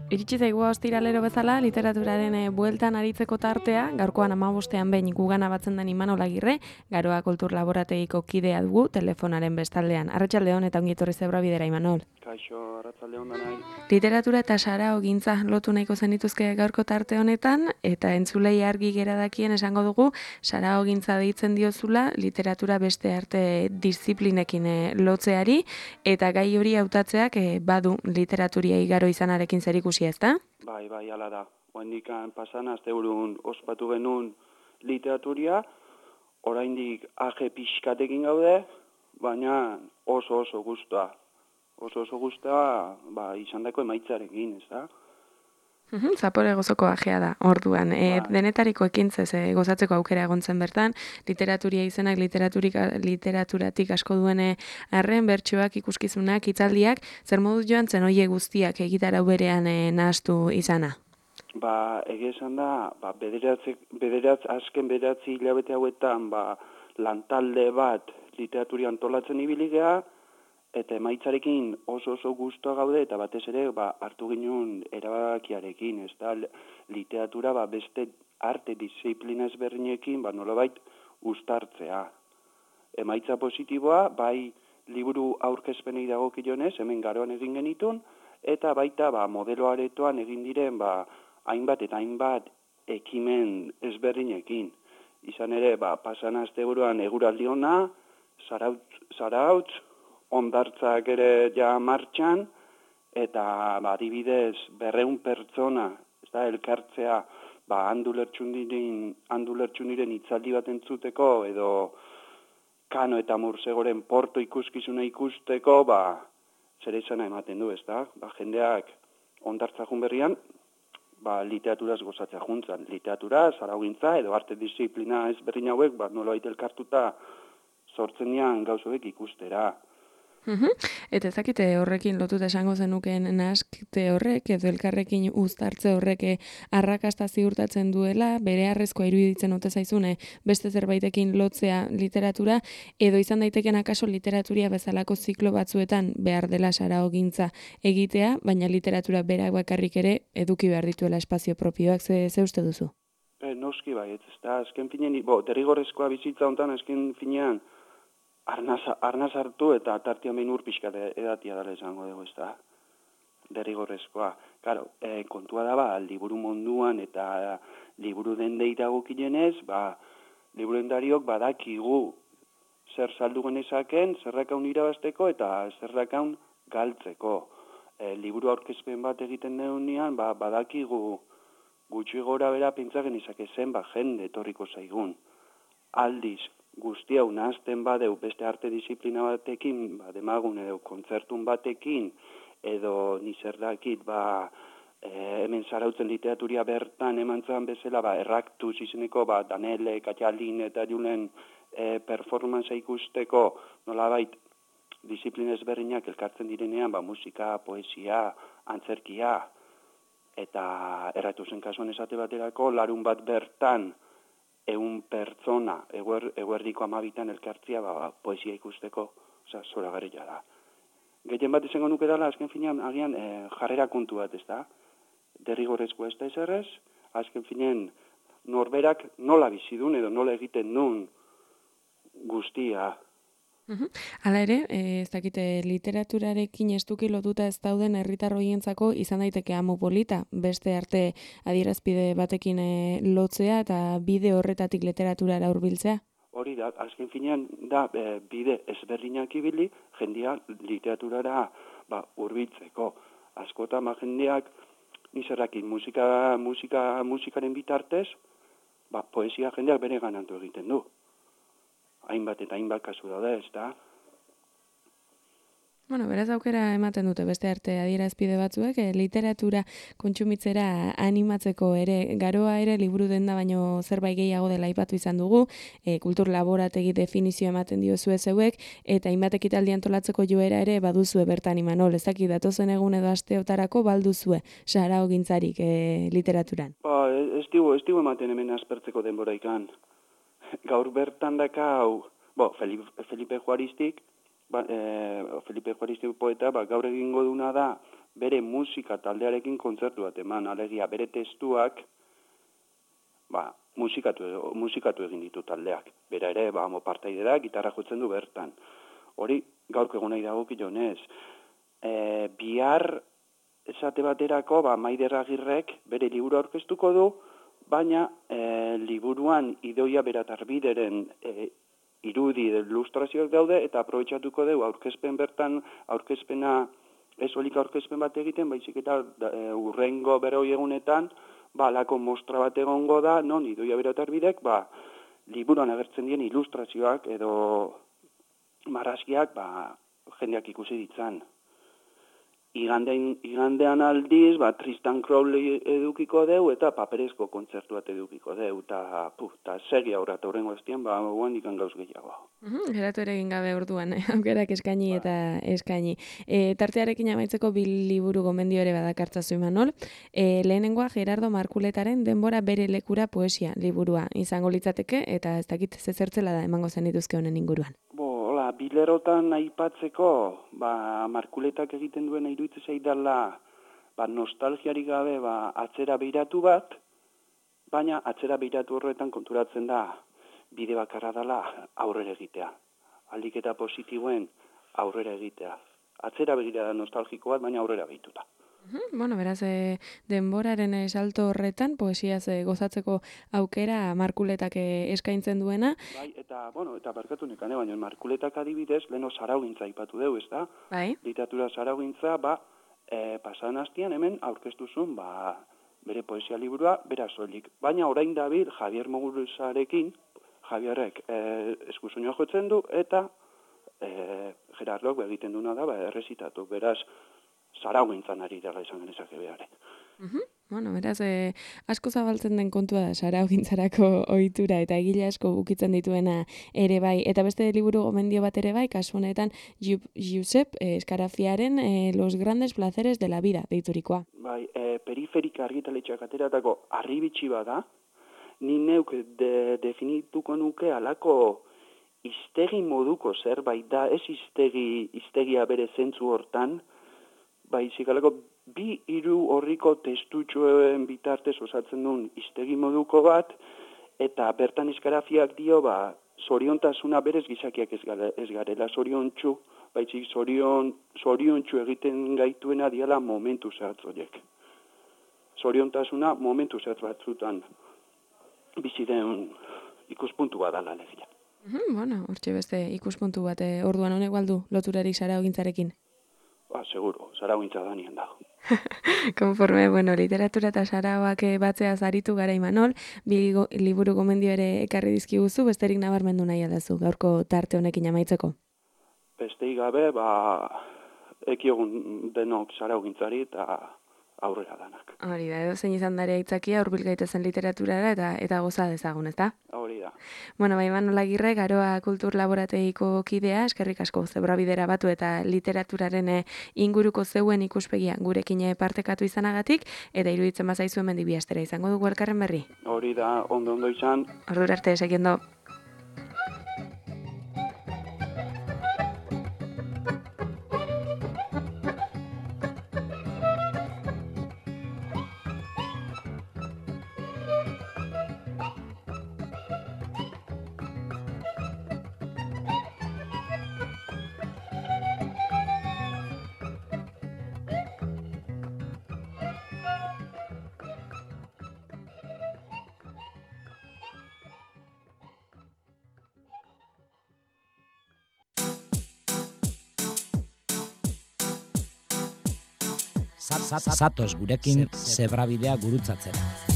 Iritsi zaigu ostiralero bezala literaturaren bueltan aritzeko tartea, gaurkoan 15ean behin gugana batzen den Imanol Agirre, Garoa Kultur Laborategiko kidea dugu telefonaren bestaldean. Arratsaldeon eta ongi etorri Zebra Bidera, Imanol. Kaixo, arratsaldeon danai. Literatura eta saraogintza lotu nahiko zenituzke gaurko tarte honetan, eta entzulei argi gera dakien esango dugu, saraogintza deitzen diozula literatura beste arte disiplinekin lotzeari, eta gai hori hautatzeak badu literaturia igaro izanarekin zerikusia, ezta? Bai, hala da. Oraindik pasan asteburun ospatu genuen literaturia, oraindik age pixkatekin gaude, baina oso gustoa. Oso gustoa, izandako emaitzarekin, ezta? Zapore gozoko ajea da, orduan. Denetariko ekintzez gozatzeko aukera egontzen bertan, literaturia izenak literaturatik asko duene arren, bertsoak, ikuskizunak, hitzaldiak, zer moduz joan zen hoie guztiak egitarau berean nahastu izana? Egia esan da, azken bederatzi hilabete hauetan, lantalde bat literaturia antolatzen ibili geha, eta emaitzarekin oso gustoa gaude, eta batez ere hartu ginen erabakiarekin, ez da, literatura beste arte disiplina ezberdinekin nolabait uztartzea. Emaitza positiboa, bai liburu aurkezpenei dagokionez, hemen Garoan egin genitun, eta baita modelo aretoan egin diren hainbat eta hainbat ekimen ezberdinekin. Izan ere, pasan asteburuan eguraldi ona, zarautz, ondartzak ere ja martxan, eta adibidez 200 pertsona, ez da, elkartzea, handu lertxundiren hitzaldi bat entzuteko, edo Kano eta Mursegoren porto ikuskizuna ikusteko, zer izana ematen du, ez da? Jendeak ondartzakun berrian, literaturaz gozatzea juntzan. Literatura, zaraugintza, edo arte disiplina ezberdin hauek, nolabait elkartuta sortzen dian gauzoek ikustera. Eta ezakite horrekin lotuta esango zenukeen nahaskete horrek, edo elkarrekin uztartze horrek arrakasta ziurtatzen duela, bere harrezkoa iruditzen ote zaizune beste zerbaitekin lotzea literatura, edo izan daiteken akaso literaturia bezalako ziklo batzuetan behar dela saraogintza egitea, baina literatura berak bakarrik ere eduki behar dituela espazio propioak, ze uste duzu? Noski ez da, azken finean, derrigorrezkoa bizitza hontan, azken finean, arnaz hartu eta tartian behin urpixkat edatia dala esango dugu, ez da, derrigorrezkoa. Claro, kontua da, liburu munduan eta liburu dendei dagokienez, liburendariok badakigu zer saldu genezaken, zerrakaun irabazteko eta zerrakaun galtzeko. Liburu aurkezpen bat egiten denean, badakigu gutxi gora bera pentsa genezake zen, jende etorriko zaigun. Aldiz, guzti hau nahazten badeu beste arte disiplina batekin, demagun edo kontzertun batekin, edo nizerdakit, hemen zarautzen literaturia bertan emantzan bezala, erraktuz izeneko, Danele, Katialin eta Julen performanza ikusteko, nolabait, disiplina ezberdinak elkartzen direnean, musika, poesia, antzerkia, eta erratuzen kasuan esate baterako, larun bat bertan, 100 pertsona, eguerdiko 12 elkartzia, poesia ikusteko, zoragarria da. Gehien bat izango nuke dela, azken finean, agian, jarrera kontu bat, ez da? Derrigorrezko ez da ezerrez, azken finean, norberak nola bizidun edo nola egiten duen guztia. Hala ere, ez dakite, literaturarekin estuki lotuta ez dauden herritar hoientzako izan daiteke amu polita, beste arte adierazpide batekin lotzea eta bide horretatik literaturara hurbiltzea? Hori da, azken finean da bide ezberdinak ibili, jendia literaturara hurbiltzeko. Askotan jendeak nizerrakin musikaren bitartez, poesia jendeak bere ganantu egiten du. Hainbat eta hainbat kasu daude, ez da? Bueno, beraz aukera ematen dute beste arte adierazpide batzuek, literatura kontsumitzera animatzeko ere, garoa ere liburu denda baino zerbait gehiago dela aipatu izan dugu, kultur laborategi definizio ematen diozue zeuek, eta hainbat ekitaldi antolatzeko joera ere baduzue bertan Imanol, ez dakit datozen egun edo asteotarako balduzue saraogintzarik literaturan. Ba, ez digu ematen hemen aspertzeko denbora ikan. Gaur bertan dakau, Felipe Juaristik, Felipe Juaristik poeta, gaur egingo duna da, bere musika taldearekin kontzertu bat eman, alegia bere testuak, musikatu egin ditu taldeak. Bera ere, partaide da, gitarra jotzen du bertan. Hori, gaurko egun nahi dagokionez. Bihar esate baterako, Maider Agirrek bere liburu aurkeztuko du, baina liburuan Idoia Beratarbideren irudi ilustrazioak daude, eta aprobetxatuko dugu aurkezpena, ez olika aurkezpen bat egiten, baizik eta urrengo berroi egunetan, alako mostra bat egongo da, non Idoia Beratarbidek, liburuan agertzen dien ilustrazioak edo marrazkiak, jendeak ikusi ditzan. Igandean aldiz, Tristan Crowley edukiko deu, eta paperezko kontzertu bat edukiko deu, eta segi aurrat horrengo eztian, guen ikan gauz gehiago. Geratu ere egin gabe orduan, aukerak eskaini eta eskaini. Tartearekin amaitzeko bi liburu gomendio ere badakartzazu Imanol. Lehenengoa Gerardo Markuletaren Denbora bere lekura poesia liburua izango litzateke, eta ez dakit zezertzela da emango zen dituzke honen inguruan. Bilerotan aipatzeko, Markuletak egiten duena iruditzen zaidala, nostalgiarik gabe, atzera beiratu bat, baina atzera beiratu horretan konturatzen da, bide bakarra dela aurrera egitea. Aldik eta positiboen aurrera egitea. Atzera begira da nostalgiko bat, baina aurrera behituta. Bueno, beraz, denboraren salto horretan, poesiaz gozatzeko aukera Markuletak eskaintzen duena. Eta barkatu nekane, baina Markuletak adibidez, leheno zaraugintza aipatu deu, ez da? Bai. Literatura zaraugintza, pasadan hastian hemen aurkeztuzun, bere poesia liburua, bera soilik. Baina orain dabil Javier Muguruzarekin, Javierrek eskusoinua jotzen du, eta Gerardok egiten duna da, errezitatu. Beraz, zaraugintzan ari dela izan genezake behare. Bueno, beraz, asko zabaltzen den kontua da zaraugintzarako ohitura eta egile asko ukitzen dituena ere bai. Eta beste liburu gomendio bat ere bai, kasu honetan Josep Eskarafiaren Los grandes placeres de la vida deiturikoa. Periferika argitaletxeak ateratako arribitsi bada, ni neuk definituko nuke alako hiztegi moduko zerbait da, ez hiztegia bere zentzu hortan, baizik alako 2-3 horriko testutxoen bitartez osatzen duen hiztegi moduko bat, eta bertan Eskarafiak dio, zoriontasuna berez gizakiak ez garela zoriontsu, baizik zoriontsu egiten gaituena diala momentu zehatz horiek. Zoriontasuna momentu zehatz batzutan bizi den ikuspuntu bat dala legia. Bueno, hortxe beste ikuspuntu bat, orduan honek baldu loturarik zaraugintzarekin. Seguro, zaraugintza da nien dago. Konforme, literatura eta sarauak batzeaz aritu gara Imanol, bi liburu gomendio ere ekarri dizkiguzu, besterik nabarmendu nahi aldazu, gaurko tarte honekin amaitzeko. Besteik gabe, ekiogun denok zaraugintzari eta aurrera danak. Hori da, edo zein izan dara aitzakia hurbil gaitezen literaturara eta goza dezagun, ezta? Hori da. Imanol Agirre, Garoa Kultur Laborategiko kidea, eskerrik asko Zebrabidera batu eta literaturaren inguruko zeuen ikuspegia gurekin partekatu izanagatik, eta iruditzen bazaizu hemen bi astera izango dugu elkarren berri. Hori da, ondo izan. Ordura arte, segiendo. Zatoz gurekin Zebrabidea gurutzatzera.